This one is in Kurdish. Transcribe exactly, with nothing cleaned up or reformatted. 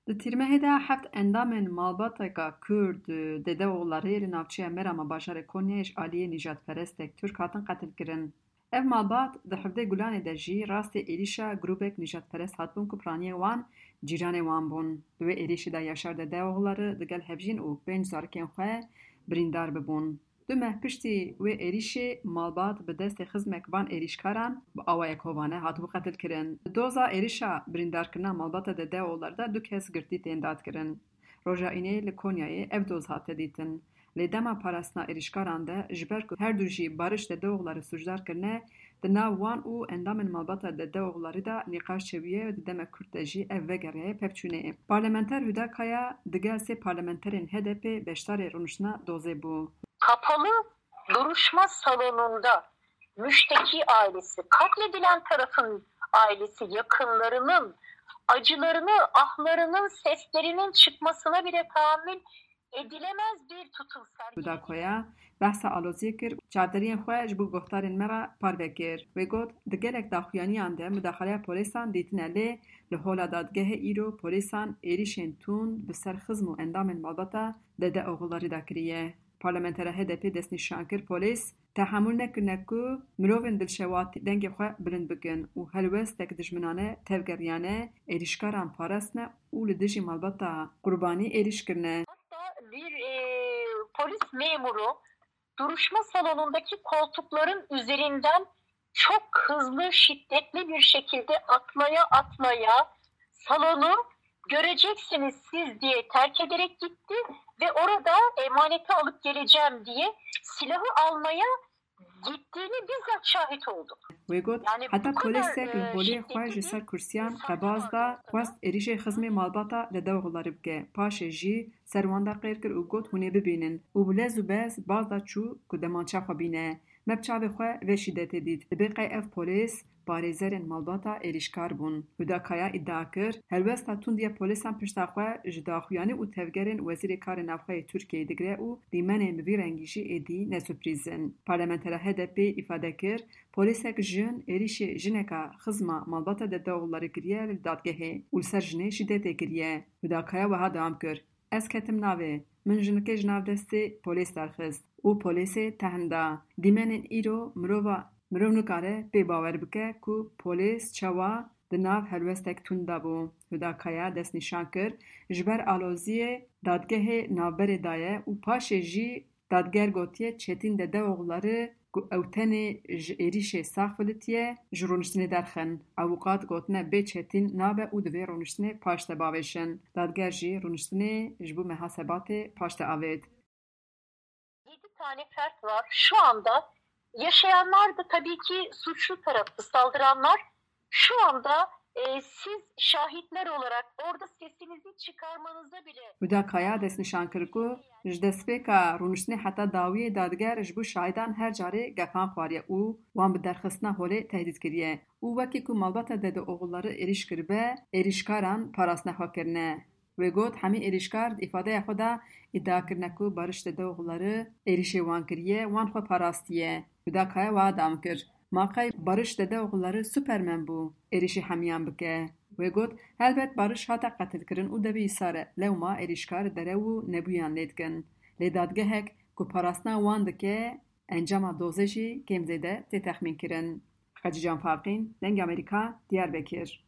Di tîrmehê de heft endamên malbateka Kurd, Dede Oxlarê, li navçeya Merama bajarê Konyayê ji aliyê nîjadperestek Tirk hatin qetilkirin. Ev malbat di hevdeh Gulanê de jî rastê êrîşa grûbek nîjadperest hatibûn ku piraniyên wan cîranê wan bûn. Di wê êrîşê de Yaşar Dede Oxlarî digel hevjîn û pênc zarokên xwe birîndar bibûn. Du meh piştî wê êrîşê malbat bi destê xizmek van êrîşkaran bi awayek hovane hatibû qetilkirin. Di doza êrîşa birîndarkirina malbata Dede Oxlarî de du kes girtî tên dadkirin. Roja Înê li Konyayê ev doz hate dîtin. Lê dema parastina êrîşkaran de, ji ber ku her du jî Barış Dede Oxlarî sûcdar kirine, di nav wan û endamên malbata Dede Oxlarî de nîqaş çêbûye û di demek kurt de jî ev vegeriyaye pevçûnê. Parlamenter Huda Kaya digel sê parlamenterên H D P beşdarê rûniştina dozê bû. Kapalı duruşma salonunda müşteki ailesi, katledilen tarafın ailesi, yakınlarının acılarını, ahlarının seslerinin çıkmasına bile tahammül edilemez bir tutum sergiledi. Huda Kaya behsa aloziyê kir û çavderiyên xwe ji bo guhdarên me re parve kir. Wê got, di gelek daxuyaniyan de mudaxaleya polîsan dîtine, lê li hola dadgehê îro polîsan êrîşên tund bi ser xizm û endamên malbata Dede Oxlarî de kiriye. Parlamentera H D P destnîşan kir, polîs tehemûl nekirine ku mirovên dilşewat dengê xwe bilind bikin û helwestek dijminane tevgeriyane êrîşkaran parastine û li dijî malbata qurbanî êrîş kirine. Hatta bir e, polis memuru duruşma salonundaki koltukların üzerinden çok hızlı, şiddetli bir şekilde atlaya atlaya salonu göreceksiniz siz diye terk ederek gitti ve orada emaneti alıp geleceğim diye silahı almaya gittiğini bizzat şahit oldum. Wê got, heta polîsek li holê xwe ji ser kursiyan qebaz da, xwest êrîşê xizmê malbata Dede Oxlarî bike. Paşê jî ser wan de qêr kir û got, hûn ê bibînin. Û bi lez û bez baz da çû ku demança xwe bîne. Me bi çavê xwe vê şîdetê dît. Dibê qey ev polîs parêzerên malbata êrîşkar bûn. Huda Kaya îdia kir, helwesta tund ya polîsan pişta xwe ji daxuyanî û tevgerên Wezîrê Karê Navxwe yê Tirkiyeyê digire û dîmenên bi vî rengî jî êdî ne surprîz in. Parlamentera H D P îfade kir, polîsek jin êrîşê jineka xizma malbata Dede Oxlarî kiriye li dadgehê û li ser jinê şîdetê kiriye. Huda Kaya wiha dewam kir, Ez ketim navê, min jinikê ji nav destê polês derxist û polêsê tehn da. Dîmenên îro mirova, mirov nikare pê bawer bike ku polês çawa di nav helwestek tund de bû. Huda Kaya destnîşan kir, ji ber aloziyê dadgehê navberê daye û paşê jî Dadger gotiye Çetîn Dedeoğulları ku ew tenê ji êrîşê sax filitiye, ji rûniştinê derxin. Avûkat gotine bê Çetîn nabe û divê rûniştinê paş de bavêjin. Dadger jî rûniştinê ji bo meha Sebatê paş de avêt. Yedi tane fert var. Şu anda yaşayanlar da tabii ki suçlu tarafı, saldıranlar. Şu anda e, siz şahitler olarak orada sesinizi çıkarmanıza bile Huda Kaya destnîşan kir ku ji destpêka rûniştinê heta dawiyê dadger ji bo şahidan her carê gefan xwariye û wan bi derxistina holê tehdît kiriye û wekî ku malbata Dedeoğulları êrîş kiribe, êrîşkaran parastina xwe kirine. Wê got, hemî êrîşkar di îfadeya xwe de îdia kirine ku Barış Dedeoğulları êrîşê wan kiriye, wan xwe parastiye. Huda Kaya wiha dewam kir, Ma qey Barış Dedeoğulları Superman bû, êrîşê hemiyan bike? Wê got, Helbet Barış hate qetilkirin û devê îsar e, lewma êrîşkar derew û nebûyan lê dikin. Lê dadgehek ku parastina wan dike, encama dozê jî kêm zêde tê texmînkirin. Xecîcan Farqîn, Dengê Amerîka, Diyarbekir.